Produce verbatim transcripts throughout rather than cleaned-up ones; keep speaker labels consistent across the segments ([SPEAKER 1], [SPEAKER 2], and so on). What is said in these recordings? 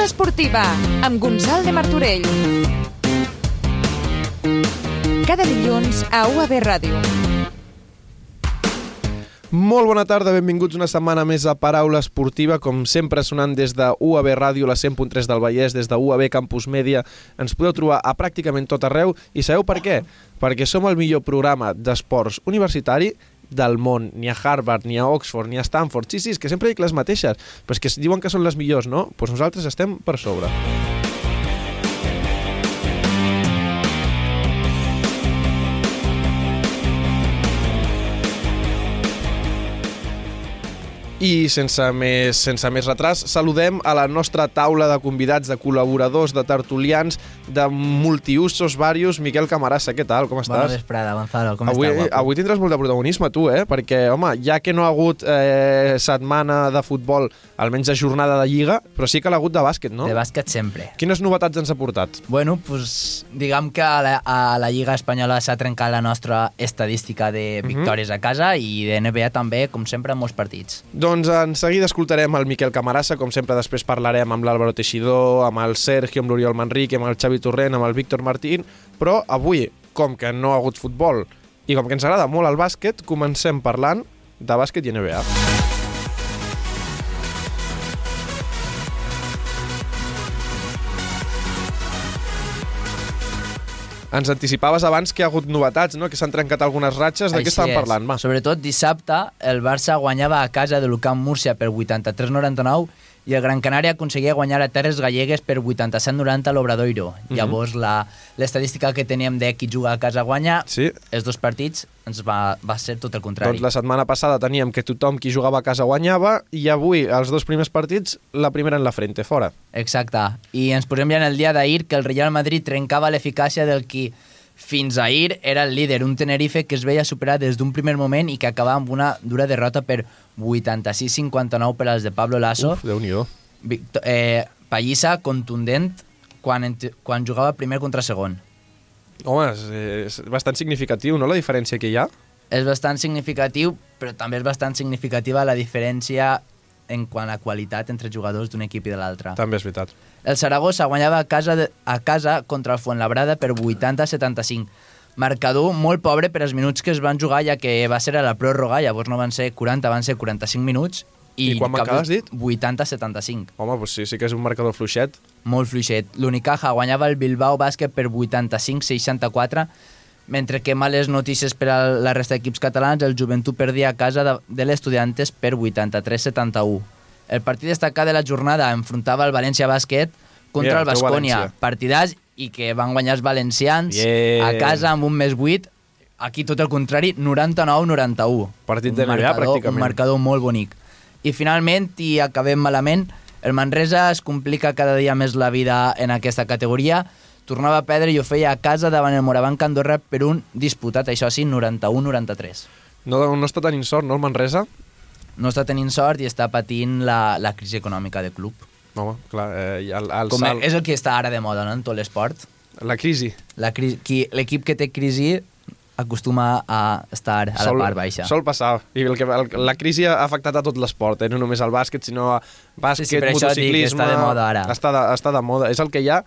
[SPEAKER 1] Paraula esportiva, amb Gonçal de Martorell. Cada dilluns a U A B Ràdio.
[SPEAKER 2] Molt bona tarda, benvinguts una setmana més a Paraula Esportiva, com sempre sonant des de U A B Ràdio, la cent punt tres del Vallès, des de U A B Campus Mèdia. Ens podeu trobar a pràcticament tot arreu, i sabeu per què? Perquè som el millor programa d'esports universitari del món. Ni a Harvard, ni a Oxford, ni a Stanford. Sí, sí, és que sempre dic les mateixes, però és que diuen que són les millors, no? Doncs nosaltres estem per sobre. I sense més, sense més retras, saludem a la nostra taula de convidats, de col·laboradors, de tertulians, de multiusos varios. Miquel Camarasa, què tal? Com estàs?
[SPEAKER 3] Bona vesprada, Gonzalo, com
[SPEAKER 2] avui,
[SPEAKER 3] estàs, guapo?
[SPEAKER 2] Avui tindràs molt de protagonisme, tu, eh? Perquè, home, ja que no ha hagut eh, setmana de futbol, almenys de jornada de Lliga, però sí que l'ha hagut de bàsquet, no?
[SPEAKER 3] De bàsquet sempre.
[SPEAKER 2] Quines novetats ens ha portat?
[SPEAKER 3] Bueno, pues, diguem que a la, a la Lliga Espanyola s'ha trencat la nostra estadística de victòries uh-huh. a casa, i de N B A també, com sempre, en molts partits.
[SPEAKER 2] Doncs en seguida escoltarem el Miquel Camarasa, com sempre després parlarem amb l'Álvaro Teixidor, amb el Sergio, amb l'Oriol Manrique, amb el Xavi Torrent, amb el Víctor Martín, però avui, com que no ha hagut futbol i com que ens agrada molt el bàsquet, comencem parlant de bàsquet i N B A. Ens anticipaves abans que hi ha hagut novetats, no? Que s'han trencat algunes ratxes. De què estàvem parlant? Va.
[SPEAKER 3] Sobretot dissabte, el Barça guanyava a casa de l'U C A M Múrcia per vuitanta-tres noranta-nou i el Gran Canària aconseguia guanyar a Terres Gallegues per vuitanta-set noranta a l'Obradoiro. Uh-huh. Llavors, la, l'estadística que teníem de qui juga a casa guanya, sí. Els dos partits, ens va, va ser tot el contrari.
[SPEAKER 2] Doncs la setmana passada teníem que tothom qui jugava a casa guanyava, i avui, els dos primers partits, la primera en la frente, fora.
[SPEAKER 3] Exacte. I ens posem ja en el dia d'ahir que el Real Madrid trencava l'eficàcia del qui fins ahir era el líder, un Tenerife que es veia superar des d'un primer moment i que acabava amb una dura derrota per vuitanta-sis cinquanta-nou per als de Pablo Lasso.
[SPEAKER 2] Uf, Déu-n'hi-do.
[SPEAKER 3] Victor, eh, pallissa contundent quan, quan jugava primer contra segon.
[SPEAKER 2] Home, és, és bastant significatiu, no?, la diferència que hi ha.
[SPEAKER 3] És bastant significatiu, però també és bastant significativa la diferència en quant a qualitat entre jugadors d'un equip i de l'altre.
[SPEAKER 2] També és veritat.
[SPEAKER 3] El Saragossa guanyava a casa, de, a casa contra el Fuenlabrada per vuitanta a setanta-cinc. Marcador molt pobre per als minuts que es van jugar, ja que va ser a la pròrroga, llavors no van ser quaranta, van ser quaranta-cinc minuts.
[SPEAKER 2] I, I quan m'acabes dit?
[SPEAKER 3] vuitanta a setanta-cinc.
[SPEAKER 2] Home, doncs sí, sí que és un marcador fluixet.
[SPEAKER 3] Molt fluixet. L'Unicaja guanyava el Bilbao Bàsquet per vuitanta-cinc a seixanta-quatre, mentre que males notícies per a la resta d'equips catalans, el Joventut perdia a casa de, de l'Estudiantes per vuitanta-tres a setanta-u. El partit destacat de la jornada enfrontava el València Bàsquet contra Mira, el Baskonia. Partidàs, i que van guanyar els valencians yeah. a casa amb un més vuit. Aquí tot el contrari, noranta-nou a noranta-u.
[SPEAKER 2] Partit de N B A, pràcticament.
[SPEAKER 3] Un marcador molt bonic. I finalment, i acabem malament, el Manresa es complica cada dia més la vida en aquesta categoria. Tornava a perdre i ho feia a casa davant el Morabanc Andorra per un disputat, això sí, noranta-u a noranta-tres.
[SPEAKER 2] No, no està tenint sort, no, el Manresa?
[SPEAKER 3] No està tenint sort i està patint la, la crisi econòmica del club.
[SPEAKER 2] Home, clar, eh, el, el
[SPEAKER 3] Com
[SPEAKER 2] salt...
[SPEAKER 3] És el que està ara de moda, no?, en tot l'esport.
[SPEAKER 2] La crisi.
[SPEAKER 3] La cri... Qui, l'equip que té crisi acostuma a estar a sol, la part baixa.
[SPEAKER 2] Sol passar. I el que, el, la crisi ha afectat a tot l'esport, eh? No només al bàsquet, sinó a bàsquet, sí, sí, motociclisme...
[SPEAKER 3] Està de moda ara.
[SPEAKER 2] Està de, està de moda. És el que hi ha,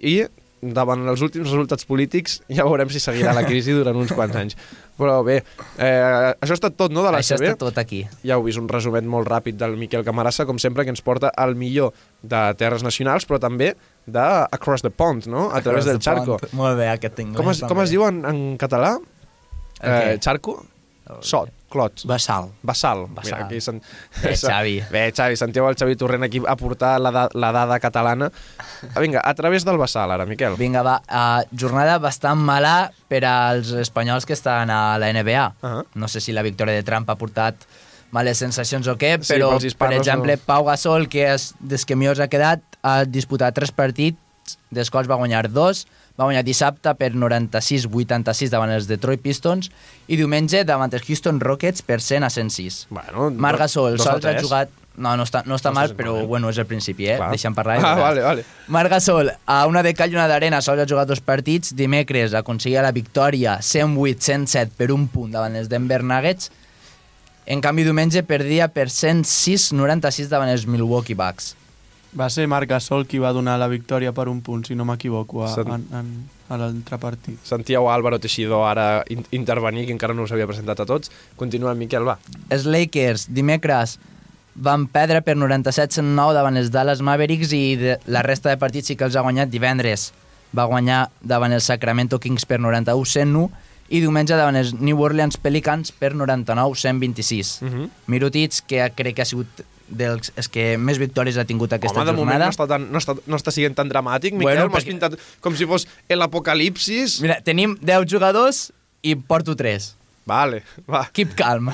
[SPEAKER 2] i davant els últims resultats polítics ja veurem si seguirà la crisi durant uns quants anys. Però bé, eh, això ha estat tot, no?, de l'A C B?
[SPEAKER 3] Això està tot aquí.
[SPEAKER 2] Ja heu vist, un resumet molt ràpid del Miquel Camarasa, com sempre, que ens porta al millor de terres nacionals, però també de Across the Pond, no?, a través del Charco.
[SPEAKER 3] Molt bé, aquest tinc.
[SPEAKER 2] Com es, com es diu en, en català? Eh, Charco? Sot, clot.
[SPEAKER 3] Bassal.
[SPEAKER 2] Bassal.
[SPEAKER 3] Bassal.
[SPEAKER 2] Mira, aquí sen...
[SPEAKER 3] Bé, Xavi.
[SPEAKER 2] Bé, Xavi, sentiu el Xavi Torrent aquí a portar la, da la dada catalana. Vinga, a través del Bassal, ara, Miquel.
[SPEAKER 3] Vinga, va. Uh, jornada bastant mala per als espanyols que estan a la N B A. Uh -huh. No sé si la victòria de Trump ha portat males sensacions o què,
[SPEAKER 2] sí,
[SPEAKER 3] però, per exemple,
[SPEAKER 2] no.
[SPEAKER 3] Pau Gasol, que és des que millor ha quedat, ha disputat tres partits, dels quals va guanyar dos. Va guanyar dissabte per noranta-sis a vuitanta-sis davant els Detroit Pistons i diumenge davant els Houston Rockets per cent a cent sis.
[SPEAKER 2] Bueno,
[SPEAKER 3] Marc Gasol sols ha jugat... No, no està, no està no mal, però mal. Bueno, és el principi, eh? Clar. Deixa'm parlar.
[SPEAKER 2] Ah, vale, vale.
[SPEAKER 3] Marc Gasol, a una de cal i una d'arena, sols ha jugat dos partits. Dimecres aconseguia la victòria cent vuit a cent set per un punt davant els Denver Nuggets. En canvi, diumenge perdia per cent sis a noranta-sis davant els Milwaukee Bucks.
[SPEAKER 4] Va ser Marc Gasol qui va donar la victòria per un punt, si no m'equivoco, a,
[SPEAKER 2] Sant-
[SPEAKER 4] en, en, a l'altre partit.
[SPEAKER 2] Sentíeu Álvaro Teixidor ara in intervenir, que encara no us havia presentat a tots. Continuem, Miquel, va.
[SPEAKER 3] Els Lakers, dimecres, van perdre per noranta-set a cent nou davant els Dallas Mavericks i de, la resta de partits sí que els ha guanyat divendres. Va guanyar davant els Sacramento Kings per noranta-u a cent u i diumenge davant els New Orleans Pelicans per noranta-nou a cent vint-i-sis.
[SPEAKER 2] Uh -huh.
[SPEAKER 3] Mirotits, que crec que ha sigut dels els que més victòries ha tingut aquesta
[SPEAKER 2] Home, de moment
[SPEAKER 3] jornada.
[SPEAKER 2] no està, tan, no, està, no està sent tan dramàtic, Miquel.
[SPEAKER 3] Bueno,
[SPEAKER 2] M'has
[SPEAKER 3] perquè-
[SPEAKER 2] pintat com si fos l'apocalipsis.
[SPEAKER 3] Mira, tenim deu jugadors i porto tres.
[SPEAKER 2] Vale, va.
[SPEAKER 3] Keep calm.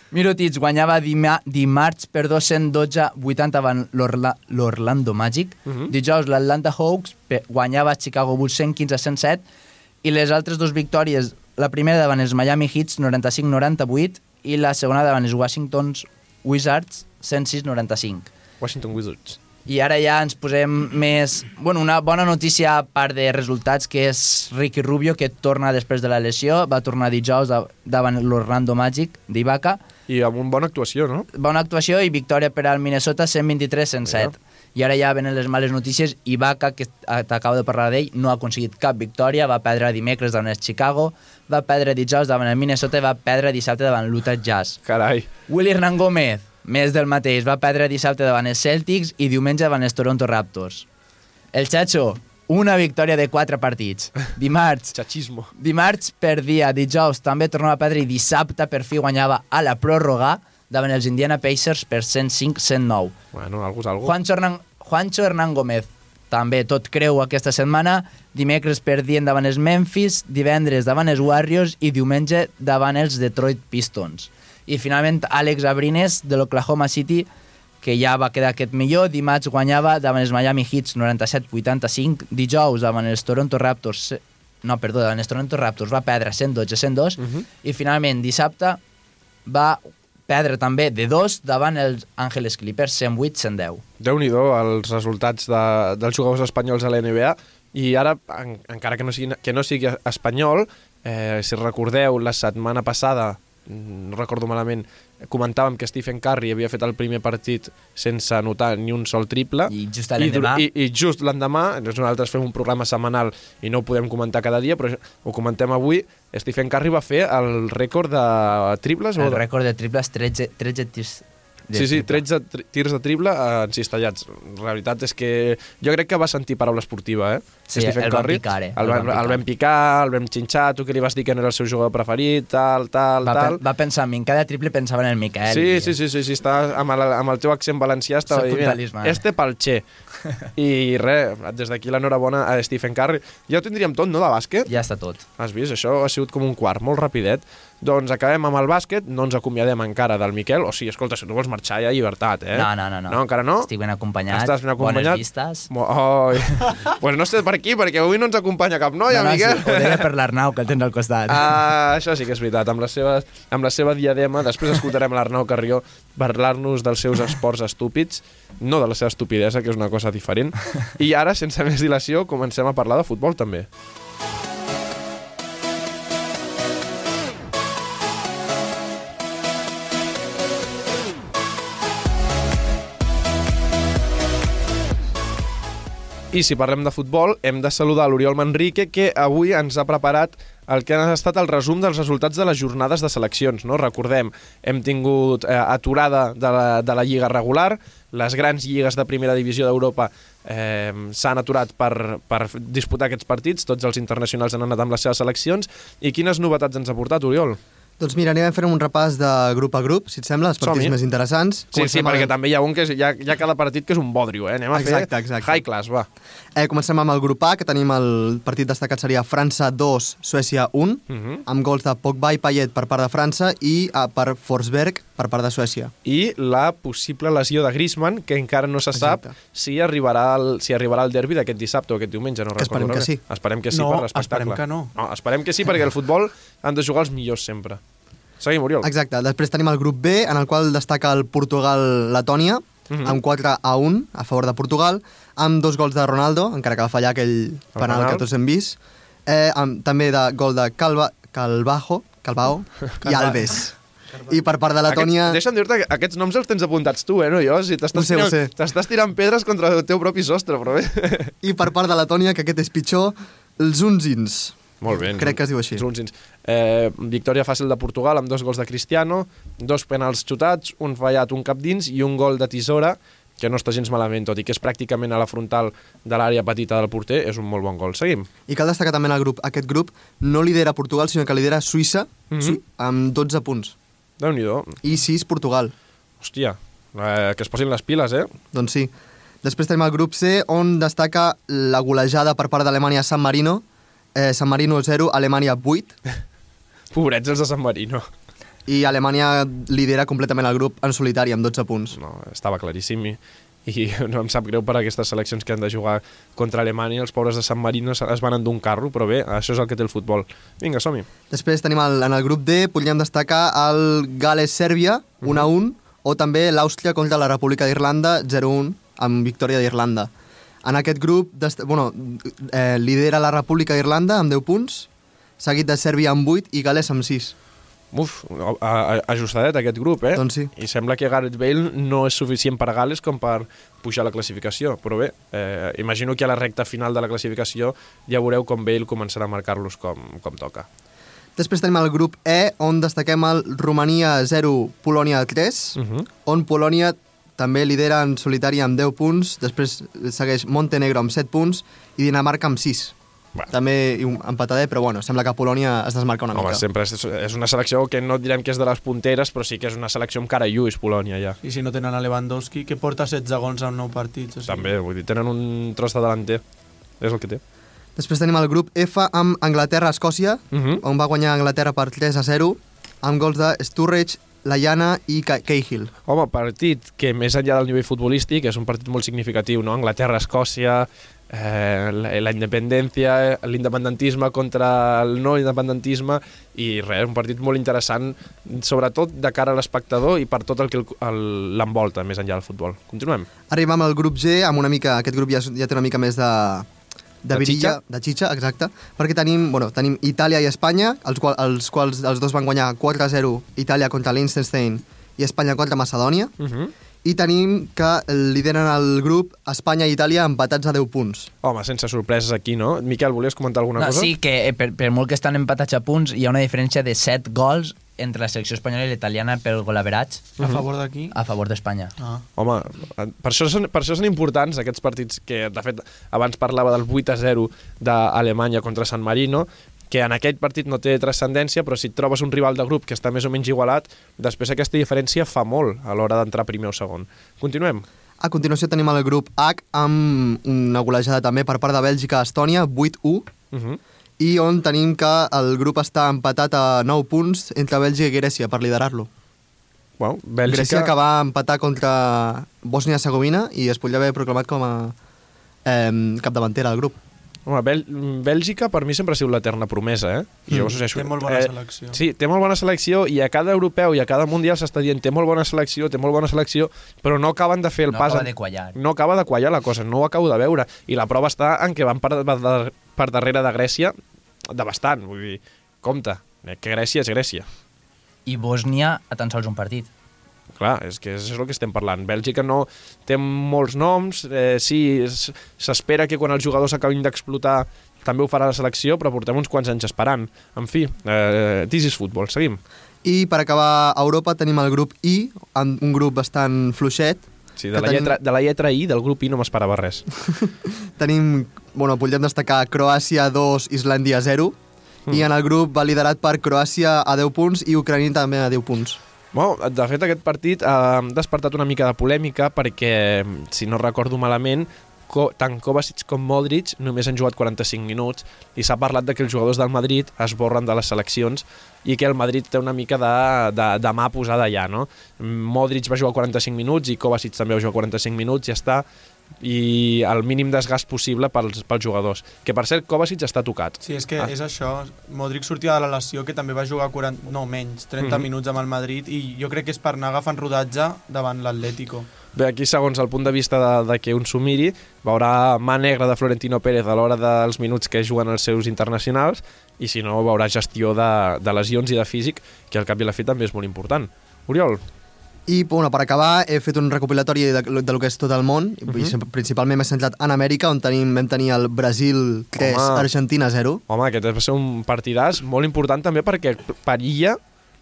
[SPEAKER 3] Mirotits guanyava dima, dimarts per dos-cents dotze a vuitanta davant l'Orlando Magic.
[SPEAKER 2] Uh -huh.
[SPEAKER 3] Dijous l'Atlanta Hawks guanyava Chicago Bulls cent quinze a cent set i les altres dues victòries, la primera davant els Miami Heat noranta-cinc a noranta-vuit i la segona davant els Washington Wizards cent sis a noranta-cinc.
[SPEAKER 2] Washington Wizards.
[SPEAKER 3] I ara ja ens posem més... Bueno, una bona notícia a part de resultats, que és Ricky Rubio, que torna després de la lesió. Va tornar dijous davant l'Orlando Magic d'Ibaka.
[SPEAKER 2] I amb una bona actuació, no?
[SPEAKER 3] Bona actuació i victòria per al Minnesota cent vint-i-tres a cent set. I ara ja venen les males notícies. Ibaka, que t'acabo de parlar d'ell, no ha aconseguit cap victòria. Va perdre dimecres davant el Chicago, va perdre dijous davant el Minnesota i va perdre dissabte davant l'Utah Jazz.
[SPEAKER 2] Carai.
[SPEAKER 3] Willy Hernán Gómez, més del mateix, va perdre dissabte davant els Celtics i diumenge davant els Toronto Raptors. El Chacho, una victòria de quatre partits. Dimarts,
[SPEAKER 2] Xachismo.
[SPEAKER 3] dimarts perdia, dijous també tornava a perdre i dissabte per fi guanyava a la pròrroga davant els Indiana Pacers per cent cinc a cent nou.
[SPEAKER 2] Bueno, algú és algú.
[SPEAKER 3] Juancho Hernán, Juancho Hernán Gómez, també tot creu aquesta setmana. Dimecres perdien davant els Memphis, divendres davant els Warriors i diumenge davant els Detroit Pistons. I finalment Àlex Abrines de l'Oklahoma City, que ja va quedar aquest millor, dimarts guanyava davant els Miami Heat noranta-set a vuitanta-cinc, dijous davant els Toronto Raptors, no, perdó, davant els Toronto Raptors va perdre cent dotze a cent dos, uh -huh. i finalment dissabte va perdre també de dos davant els Angeles Clippers cent vuit a cent deu.
[SPEAKER 2] Déu-n'hi-do els resultats de, dels jugadors espanyols a la N B A. I ara, en, encara que no sigui, que no sigui espanyol, eh, si recordeu, la setmana passada, no recordo malament, comentàvem que Stephen Curry havia fet el primer partit sense anotar ni un sol triple.
[SPEAKER 3] I just l'endemà...
[SPEAKER 2] I, i, i just l'endemà, nosaltres fem un programa setmanal i no ho podem comentar cada dia, però ho comentem avui, Stephen Curry va fer el rècord de triples?
[SPEAKER 3] El
[SPEAKER 2] o de...
[SPEAKER 3] rècord de triples, tretze, tretze tirs.
[SPEAKER 2] Sí, sí, tretze tri tirs de triple eh, encistallats. La veritat és que jo crec que va sentir paraula esportiva, eh?
[SPEAKER 3] Sí,
[SPEAKER 2] Stephen
[SPEAKER 3] el van
[SPEAKER 2] Curry.
[SPEAKER 3] picar, eh?
[SPEAKER 2] El, van, el vam picar, el vam xinxar, tu que li vas dir que no era el seu jugador preferit, tal, tal,
[SPEAKER 3] Va,
[SPEAKER 2] tal.
[SPEAKER 3] pe va pensar en mi, en cada triple pensava en el Miquel.
[SPEAKER 2] Sí,
[SPEAKER 3] i...
[SPEAKER 2] sí, sí, sí, sí, està amb el, amb el teu accent valencià estava
[SPEAKER 3] Soc un
[SPEAKER 2] dient,
[SPEAKER 3] talismà, eh?
[SPEAKER 2] este pel Che. I res, des d'aquí l'enhorabona a Stephen Curry. Ja ho tindríem tot, no, de bàsquet?
[SPEAKER 3] Ja està tot.
[SPEAKER 2] Has vist? Això ha sigut com un quart, molt rapidet. Doncs acabem amb el bàsquet, no ens acomiadem encara del Miquel. O sigui, escolta, si tu vols marxar ja, llibertat, eh?
[SPEAKER 3] No, no, no. no.
[SPEAKER 2] No, encara no?
[SPEAKER 3] Estic ben acompanyat.
[SPEAKER 2] Estàs ben acompanyat?
[SPEAKER 3] Bones vistes.
[SPEAKER 2] Oi. Pues no sé per aquí, perquè avui no ens acompanya cap noia,
[SPEAKER 3] no, no,
[SPEAKER 2] Miquel.
[SPEAKER 3] Sí, ho deia per l'Arnau, que el tens al costat.
[SPEAKER 2] Ah, això sí que és veritat. Amb la seva, amb la seva diadema, després escoltarem l'Arnau Carrió parlar-nos dels seus esports estúpids, no de la seva estupidesa, que és una cosa diferent. I ara, sense més dilació, comencem a parlar de futbol, també. I si parlem de futbol, hem de saludar l'Oriol Manrique, que avui ens ha preparat el que ha estat el resum dels resultats de les jornades de seleccions. No? Recordem, hem tingut eh, aturada de la, de la lliga regular, les grans lligues de primera divisió d'Europa eh, s'han aturat per, per disputar aquests partits, tots els internacionals han anat amb les seves seleccions. I quines novetats ens ha portat, Oriol?
[SPEAKER 5] Doncs mira, anem a fer un repàs de grup a grup, si et sembla, els partits més interessants.
[SPEAKER 2] Sí, comencem sí,
[SPEAKER 5] amb
[SPEAKER 2] perquè
[SPEAKER 5] el...
[SPEAKER 2] també hi ha un que és, hi ha, hi ha cada partit que és un bodrio, eh? Anem a
[SPEAKER 5] exacte,
[SPEAKER 2] fer
[SPEAKER 5] exacte.
[SPEAKER 2] high class, va.
[SPEAKER 5] Eh, comencem amb el grup A, que tenim el partit destacat seria França dos, Suècia un, uh -huh. amb gols de Pogba i Payet per part de França i uh, per Forsberg per part de Suècia.
[SPEAKER 2] I la possible lesió de Griezmann, que encara no se sap exacte. si arribarà el, si arribarà el derbi d'aquest dissabte o aquest diumenge, no
[SPEAKER 5] que
[SPEAKER 2] recordo.
[SPEAKER 5] Esperem que sí.
[SPEAKER 2] Esperem que sí
[SPEAKER 4] no,
[SPEAKER 2] per l'espectacle.
[SPEAKER 4] esperem que no.
[SPEAKER 2] No, esperem que sí, perquè el futbol han de jugar els millors sempre. Seguim, Oriol.
[SPEAKER 5] Exacte. Després tenim el grup B, en el qual destaca el Portugal-Letònia, uh -huh. amb quatre a un a favor de Portugal, amb dos gols de Ronaldo, encara que va fallar aquell penal, penal que tots hem vist, eh, amb, també de gol de Calva, Calvajo, Calvao i Alves. I per part de Letònia...
[SPEAKER 2] Aquests, deixa'm dir-te que aquests noms els tens apuntats tu, eh, no jo? Si t'estàs
[SPEAKER 5] Ho sé, ho
[SPEAKER 2] tirant,
[SPEAKER 5] sé.
[SPEAKER 2] t'estàs tirant pedres contra el teu propi sostre, però bé.
[SPEAKER 5] I per part de Letònia, que aquest és pitjor, els Unzins.
[SPEAKER 2] Molt bé.
[SPEAKER 5] Crec que es diu així.
[SPEAKER 2] Zunzins. Eh, victòria fàcil de Portugal amb dos gols de Cristiano, dos penals xutats, un fallat, un cap dins i un gol de tisora, que no està gens malament, tot i que és pràcticament a la frontal de l'àrea petita del porter, és un molt bon gol. Seguim.
[SPEAKER 5] I cal destacar també en el grup, aquest grup no lidera Portugal, sinó que lidera Suïssa,
[SPEAKER 2] Mhm.
[SPEAKER 5] Su- amb dotze punts.
[SPEAKER 2] Déu-n'hi-do.
[SPEAKER 5] I sis Portugal.
[SPEAKER 2] Hòstia, eh, que es posin les piles, eh?
[SPEAKER 5] Doncs sí. Després tenim el grup C, on destaca la golejada per part d'Alemanya a San Marino. Eh, San Marino zero, Alemanya vuit.
[SPEAKER 2] Pobrets els de San Marino.
[SPEAKER 5] I Alemanya lidera completament el grup en solitari, amb dotze punts.
[SPEAKER 2] No, estava claríssim i, i no em sap greu per aquestes seleccions que han de jugar contra Alemanya. Els pobres de San Marino es van endur un carro, però bé, això és el que té el futbol. Vinga, som-hi.
[SPEAKER 5] Després tenim el, en el grup D, podríem destacar el Gales-Sèrbia, un a un, o també l'Àustria contra la República d'Irlanda, zero a un, amb victòria d'Irlanda. En aquest grup, bueno, eh, lidera la República d'Irlanda amb deu punts, seguit de Sèrbia amb vuit i Gales amb sis.
[SPEAKER 2] Uf, a, a, ajustadet aquest grup, eh?
[SPEAKER 5] Doncs sí.
[SPEAKER 2] I sembla que Gareth Bale no és suficient per a Gales com per pujar a la classificació, però bé, eh, imagino que a la recta final de la classificació ja veureu com Bale començarà a marcar-los com, com toca.
[SPEAKER 5] Després tenim el grup E, on destaquem el Romania zero, Polònia tres,
[SPEAKER 2] Uh -huh.
[SPEAKER 5] on Polònia també lidera en solitari amb deu punts, després segueix Montenegro amb set punts i Dinamarca amb sis.
[SPEAKER 2] Bueno.
[SPEAKER 5] També un empatadet, però bueno, sembla que Polònia es desmarca una
[SPEAKER 2] Home,
[SPEAKER 5] mica.
[SPEAKER 2] sempre és, és una selecció que no direm que és de les punteres, però sí que és una selecció amb cara i ulls, Polònia, ja.
[SPEAKER 4] I si no tenen a Lewandowski, que porta setze gols en nou partits. O sigui.
[SPEAKER 2] També, vull dir, tenen un tros de delanter. És el que té.
[SPEAKER 5] Després tenim el grup F amb Anglaterra-Escòcia,
[SPEAKER 2] Uh -huh.
[SPEAKER 5] on va guanyar Anglaterra per tres a zero, amb gols de Sturridge, Lallana i Ca- Cahill.
[SPEAKER 2] Home, partit que més enllà del nivell futbolístic és un partit molt significatiu, no? Anglaterra-Escòcia, eh, la, la independència, l'independentisme contra el no independentisme i res, un partit molt interessant, sobretot de cara a l'espectador i per tot el que el- el- l'envolta més enllà del futbol. Continuem.
[SPEAKER 5] Arribam al grup G, amb una mica, aquest grup ja, ja té una mica més de, de,
[SPEAKER 2] De
[SPEAKER 5] virilla,
[SPEAKER 2] xitxa?
[SPEAKER 5] de xitxa, exacte, perquè tenim, bueno, tenim Itàlia i Espanya, els, qual, els quals els dos van guanyar quatre a zero, Itàlia contra Liechtenstein i Espanya contra Macedònia,
[SPEAKER 2] Uh -huh.
[SPEAKER 5] i tenim que lideren el grup Espanya i Itàlia empatats a deu punts.
[SPEAKER 2] Home, sense sorpreses aquí, no? Miquel, volies comentar alguna
[SPEAKER 3] No,
[SPEAKER 2] cosa?
[SPEAKER 3] sí, que eh, per, per molt que estan empatats a punts, hi ha una diferència de set gols entre la selecció espanyola i l'italiana pel golaveratge
[SPEAKER 4] A favor d'aquí?
[SPEAKER 3] a favor d'Espanya.
[SPEAKER 4] Ah.
[SPEAKER 2] Home, per això, són, per això són importants aquests partits que, de fet, abans parlava del vuit a zero d'Alemanya contra San Marino, que en aquest partit no té transcendència, però si et trobes un rival de grup que està més o menys igualat, després aquesta diferència fa molt a l'hora d'entrar primer o segon. Continuem.
[SPEAKER 5] A continuació tenim el grup H, amb una golejada també per part de Bèlgica a Estònia, vuit a u,
[SPEAKER 2] Uh -huh.
[SPEAKER 5] i on tenim que el grup està empatat a nou punts entre Bèlgica i Grècia per liderar-lo.
[SPEAKER 2] Bueno, Bèlgica...
[SPEAKER 5] Grècia que va empatar contra Bòsnia-Hercegovina i es podria haver proclamat com a eh, capdavantera del grup.
[SPEAKER 2] Home, Bèl Bèlgica per mi sempre ha sigut l'eterna promesa, eh? I jo
[SPEAKER 5] Mm.
[SPEAKER 2] us ho sé,
[SPEAKER 4] Té molt bona selecció.
[SPEAKER 2] Sí, té molt bona selecció i a cada europeu i a cada mundial s'està dient té molt bona selecció, té molt bona selecció, però no acaben de fer el
[SPEAKER 3] No
[SPEAKER 2] pas...
[SPEAKER 3] acaba
[SPEAKER 2] en-
[SPEAKER 3] de quallar.
[SPEAKER 2] No acaba de quallar la cosa, no ho acabo de veure. I la prova està en què van per, per, per darrere de Grècia de bastant. Vull dir, compte, eh, que Grècia és Grècia.
[SPEAKER 3] I Bòsnia a tan sols un partit.
[SPEAKER 2] Clar, és que és el que estem parlant. Bèlgica no té molts noms, eh, sí, s- s'espera que quan els jugadors acabin d'explotar també ho farà la selecció, però portem uns quants anys esperant. En fi, eh, this is football, seguim.
[SPEAKER 5] I per acabar a Europa tenim el grup I, amb un grup bastant fluixet.
[SPEAKER 2] Sí, de,
[SPEAKER 5] que
[SPEAKER 2] la
[SPEAKER 5] tenim-
[SPEAKER 2] lletra, de la lletra I del grup I no m'esperava res.
[SPEAKER 5] Tenim, bueno, podríem destacar Croàcia dos, Islàndia zero,
[SPEAKER 2] Mm.
[SPEAKER 5] i en el grup va liderat per Croàcia a deu punts i Ucrània també a deu punts.
[SPEAKER 2] Bueno, de fet, aquest partit ha despertat una mica de polèmica perquè, si no recordo malament, Co tant Kovacic com Modric només han jugat quaranta-cinc minuts i s'ha parlat de que els jugadors del Madrid es borren de les seleccions i que el Madrid té una mica de, de, de mà posada allà, no? Modric va jugar quaranta-cinc minuts i Kovacic també va jugar quaranta-cinc minuts, ja està, i el mínim desgast possible pels, pels jugadors. Que, per cert, Kovacic està tocat.
[SPEAKER 4] Sí, és que
[SPEAKER 2] Ah.
[SPEAKER 4] és això. Modric sortia de la lesió, que també va jugar quaranta, no, menys, trenta
[SPEAKER 2] Mhm.
[SPEAKER 4] minuts amb el Madrid, i jo crec que és per anar agafant rodatge davant l'Atlético.
[SPEAKER 2] Bé, aquí, segons el punt de vista de, de que un s'ho miri, veurà mà negra de Florentino Pérez a l'hora dels minuts que juguen els seus internacionals i, si no, veurà gestió de, de lesions i de físic, que al cap i a la fi també és molt important. Oriol?
[SPEAKER 5] I bueno, per acabar, he fet un recopilatori de, de, de lo que és tot el món, uh -huh. i principalment m'he centrat en Amèrica, on tenim, vam tenir el Brasil tres, Argentina zero.
[SPEAKER 2] Home, aquest va ser un partidàs molt important també perquè perilla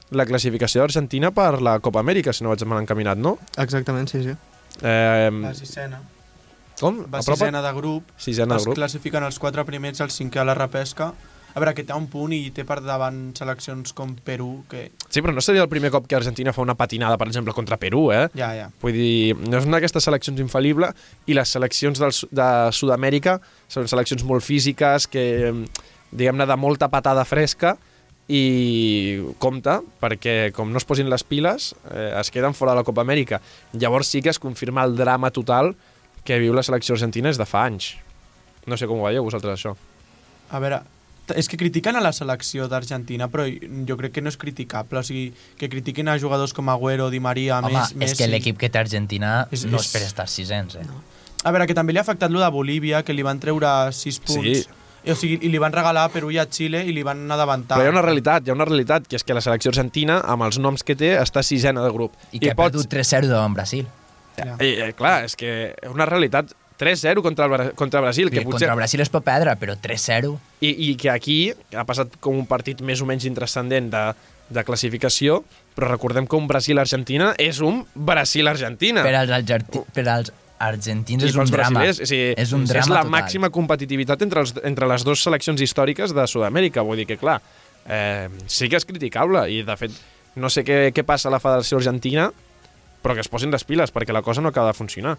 [SPEAKER 2] la classificació d'Argentina per la Copa Amèrica, si no vaig mal encaminat, no?
[SPEAKER 5] Exactament, sí, sí.
[SPEAKER 2] Eh,
[SPEAKER 4] La sisena.
[SPEAKER 2] com?
[SPEAKER 4] Va
[SPEAKER 2] Apropa?
[SPEAKER 4] sisena de grup.
[SPEAKER 2] Sisena de
[SPEAKER 4] Es
[SPEAKER 2] grup.
[SPEAKER 4] classifiquen els quatre primers, el cinquè a la repesca. A veure, que té un punt i té per davant seleccions com Perú, que...
[SPEAKER 2] Sí, però no seria el primer cop que Argentina fa una patinada, per exemple, contra Perú, eh?
[SPEAKER 4] Ja, ja.
[SPEAKER 2] Vull dir, no és una d'aquestes seleccions infal·lible i les seleccions del, Su- de Sud-amèrica són seleccions molt físiques que, diguem-ne, de molta patada fresca i compte, perquè com no es posin les piles, eh, es queden fora de la Copa Amèrica. Llavors sí que es confirma el drama total que viu la selecció argentina des de fa anys. No sé com ho veieu vosaltres, això.
[SPEAKER 4] A veure, t- és que critiquen a la selecció d'Argentina, però jo crec que no és criticable. O sigui, que critiquin a jugadors com Agüero, Di Maria,
[SPEAKER 3] Home,
[SPEAKER 4] Messi...
[SPEAKER 3] és que l'equip que té Argentina
[SPEAKER 4] És-
[SPEAKER 3] no
[SPEAKER 4] és-
[SPEAKER 3] és per estar sisens, eh? No.
[SPEAKER 4] A veure, que també li ha afectat lo de Bolívia, que li van treure sis punts.
[SPEAKER 2] Sí.
[SPEAKER 4] I, o sigui, i li van regalar a Perú i a Xile i li van adavantar.
[SPEAKER 2] Però hi ha una realitat, hi ha una realitat, que és que la selecció argentina, amb els noms que té, està sisena de grup.
[SPEAKER 3] I que ha perdut tres zero davant Brasil.
[SPEAKER 4] Ja.
[SPEAKER 2] I, eh, clar, és que és una realitat tres zero contra, el, Bra- contra Brasil, que
[SPEAKER 3] Que
[SPEAKER 2] potser...
[SPEAKER 3] Contra Brasil es pot perdre, però tres zero...
[SPEAKER 2] I, I que aquí ha passat com un partit més o menys intrascendent de, de classificació, però recordem que un Brasil-Argentina és un Brasil-Argentina.
[SPEAKER 3] Per als, argenti per als argentins
[SPEAKER 2] I
[SPEAKER 3] és un
[SPEAKER 2] pels
[SPEAKER 3] drama.
[SPEAKER 2] brasilers, o sigui,
[SPEAKER 3] és un
[SPEAKER 2] és
[SPEAKER 3] drama
[SPEAKER 2] la
[SPEAKER 3] total.
[SPEAKER 2] màxima competitivitat entre, els, entre les dues seleccions històriques de Sud-amèrica. Vull dir que, clar, eh, sí que és criticable i, de fet, no sé què, què passa a la Federació Argentina, però que es posin les piles, perquè la cosa no acaba de funcionar.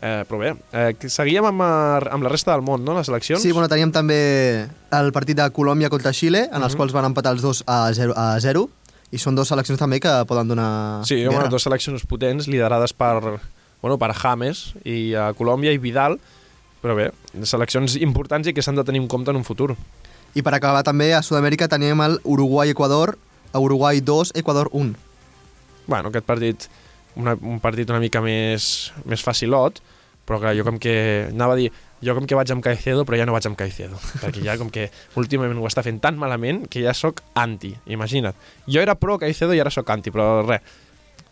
[SPEAKER 2] Eh, però bé, eh, que seguíem amb, eh, amb la resta del món, no?, les eleccions.
[SPEAKER 5] Sí, bueno, teníem també el partit de Colòmbia contra Xile, en els
[SPEAKER 2] Mhm.
[SPEAKER 5] quals van empatar els dos a zero, a zero, i són dues seleccions també que poden donar
[SPEAKER 2] Sí, home,
[SPEAKER 5] guerra.
[SPEAKER 2] dues seleccions potents liderades per, bueno, per James i a Colòmbia i Vidal, però bé, seleccions importants i que s'han de tenir en compte en un futur.
[SPEAKER 5] I per acabar també a Sud-amèrica teníem el Uruguai-Equador, Uruguai dos, Equador un.
[SPEAKER 2] Bueno, aquest partit, una, un partit una mica més, més facilot, però clar, jo com que, anava a dir, jo com que vaig amb Caicedo, però ja no vaig amb Caicedo, perquè ja com que últimament ho està fent tan malament que ja sóc anti, imagina't. Jo era pro Caicedo i ara sóc anti, però res,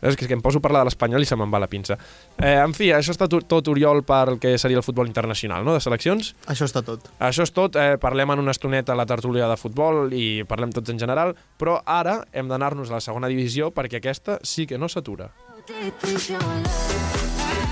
[SPEAKER 2] és que, és que em poso a parlar de l'Espanyol i se me'n va la pinça. Eh, en fi, això està tot, tot Oriol per el que seria el futbol internacional, no?, de seleccions.
[SPEAKER 5] Això està tot.
[SPEAKER 2] Això és tot, eh, parlem en una estoneta a la tertúlia de futbol i parlem tots en general, però ara hem d'anar-nos a la segona divisió perquè aquesta sí que no s'atura.
[SPEAKER 6] Deep is your love.